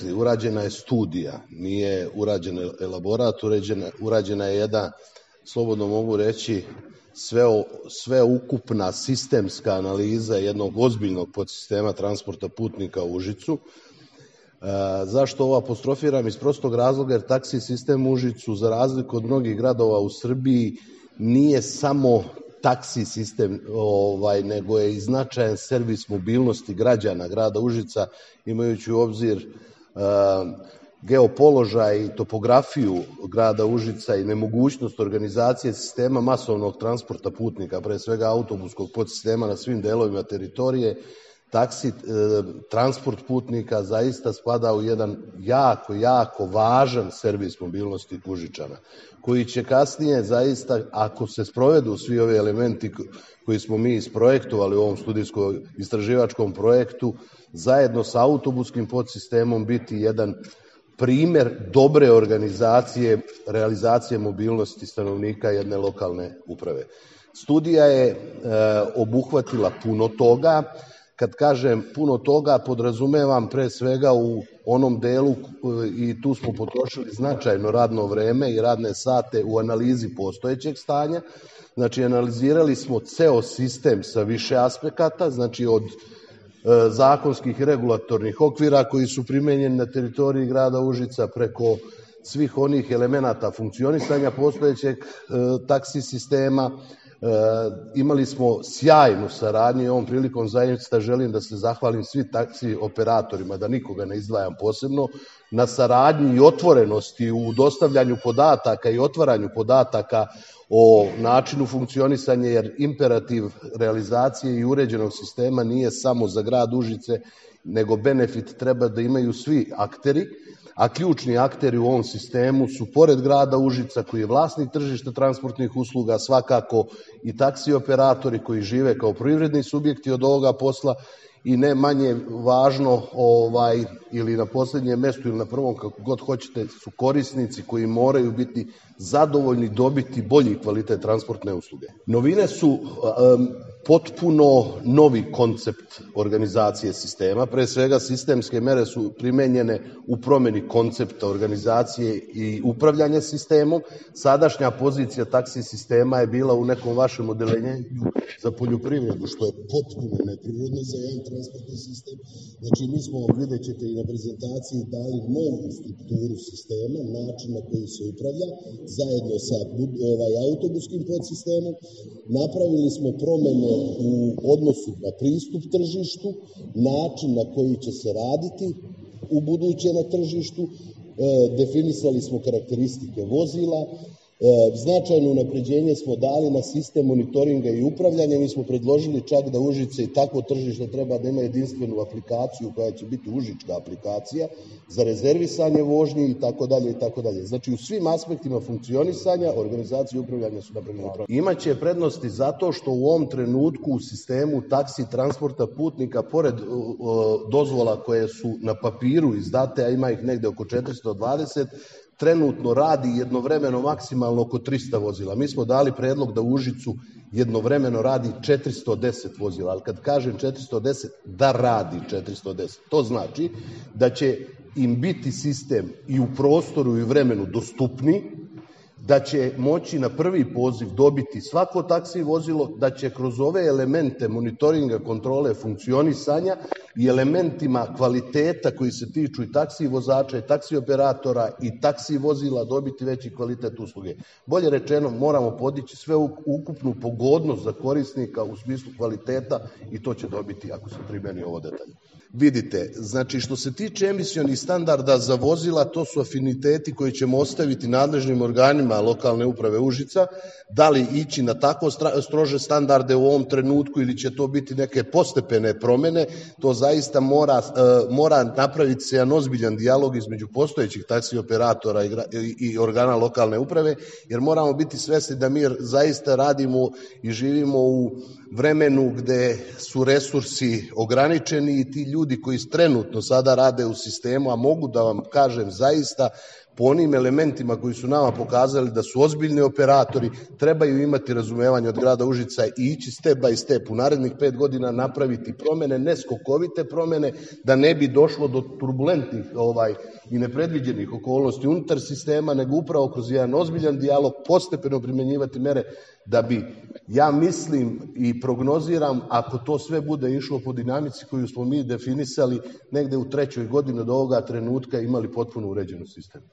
rekli, urađena je studija, nije urađen elaborat, urađena je jedna, slobodno mogu reći, sveukupna sistemska analiza jednog ozbiljnog podsistema transporta putnika u Užicu. Zašto ovo apostrofiram? Iz prostog razloga jer taksi sistem u Užicu, za razliku od mnogih gradova u Srbiji, nije samo taksi sistem, nego je i značajan servis mobilnosti građana grada Užica, imajući u obzir geopoložaj i topografiju grada Užica i nemogućnost organizacije sistema masovnog transporta putnika, pre svega autobuskog podsistema na svim delovima teritorije. Taksi transport putnika zaista spada u jedan jako važan servis mobilnosti Užičana, koji će kasnije zaista, ako se sprovedu svi ovi elementi koji smo mi isprojektovali u ovom studijsko-istraživačkom projektu, zajedno sa autobuskim podsistemom biti jedan primer dobre organizacije, realizacije mobilnosti stanovnika jedne lokalne uprave. Studija je obuhvatila puno toga. Kad kažem puno toga, podrazumevam pre svega u onom delu, i tu smo potrošili značajno radno vreme i radne sate u analizi postojećeg stanja. Znači, analizirali smo ceo sistem sa više aspekata, znači od zakonskih i regulatornih okvira koji su primenjeni na teritoriji grada Užica, preko svih onih elemenata funkcionisanja postojećeg taksi sistema. Imali smo sjajnu saradnju i ovom prilikom zaista želim da se zahvalim svim taksi operatorima, da nikoga ne izdvajam posebno, na saradnji i otvorenosti u dostavljanju podataka i otvaranju podataka o načinu funkcionisanja, jer imperativ realizacije i uređenog sistema nije samo za grad Užice, nego benefit treba da imaju svi akteri, a ključni akteri u ovom sistemu su, pored grada Užica koji je vlasnik tržišta transportnih usluga, svakako i taksi operatori koji žive kao privredni subjekti od ovoga posla, i ne manje važno, ili na poslednjem mestu ili na prvom, kako god hoćete, su korisnici koji moraju biti zadovoljni, dobiti bolji kvalitet transportne usluge. Novine su potpuno novi koncept organizacije sistema. Pre svega, sistemske mere su primenjene u promeni koncepta organizacije i upravljanja sistemom. Sadašnja pozicija taksi sistema je bila u nekom vašem odeljenju za poljoprivredu, što je potpuno neprirodno za jedan transportni sistem. Znači, mi smo, vidjet ćete i na prezentaciji, dali novu strukturu sistema, način na koji se upravlja, zajedno sa autobuskim podsistemom. Napravili smo promene u odnosu na pristup tržištu, način na koji će se raditi u buduće na tržištu, definisali smo karakteristike vozila, značajno unapređenje smo dali na sistem monitoringa i upravljanja. Mi smo predložili čak da Užice i takvo tržište treba da ima jedinstvenu aplikaciju koja će biti užička aplikacija za rezervisanje vožnji i tako dalje. Znači, u svim aspektima funkcionisanja, organizacije i upravljanja su napravljene. Imaće prednosti zato što u ovom trenutku u sistemu taksi transporta putnika, pored dozvola koje su na papiru izdate, a ima ih negde oko 420, trenutno radi jednovremeno maksimalno oko 300 vozila. Mi smo dali predlog da u Užicu jednovremeno radi 410 vozila, ali kad kažem 410, da radi 410. To znači da će im biti sistem i u prostoru i vremenu dostupni, da će moći na prvi poziv dobiti svako taksi vozilo, da će kroz ove elemente monitoringa, kontrole, funkcionisanja i elementima kvaliteta koji se tiču i taksi vozača i taksi operatora i taksi vozila dobiti veći kvalitet usluge. Bolje rečeno, moramo podići sve ukupnu pogodnost za korisnika u smislu kvaliteta i to će dobiti ako se primeni ovo detaljno. Vidite, znači što se tiče emisionih standarda za vozila, to su afiniteti koji ćemo ostaviti nadležnim organima lokalne uprave Užica, da li ići na tako strože standarde u ovom trenutku ili će to biti neke postepene promene, to zaista mora napraviti se jedan ozbiljan dijalog između postojećih taksi operatora i organa lokalne uprave, jer moramo biti svesni da mi zaista radimo i živimo u vremenu gde su resursi ograničeni i ti ljudi koji trenutno sada rade u sistemu, a mogu da vam kažem zaista po onim elementima koji su nama pokazali da su ozbiljni operatori, trebaju imati razumevanje od grada Užica i ići step by step u narednih 5 godina napraviti promene, ne skokovite promene, da ne bi došlo do turbulentnih i nepredviđenih okolnosti unutar sistema, nego upravo kroz jedan ozbiljan dijalog postepeno primjenjivati mere da bi, ja mislim i prognoziram, ako to sve bude išlo po dinamici koju smo mi definisali, negde u 3. godini od ovoga trenutka imali potpuno uređen sistem.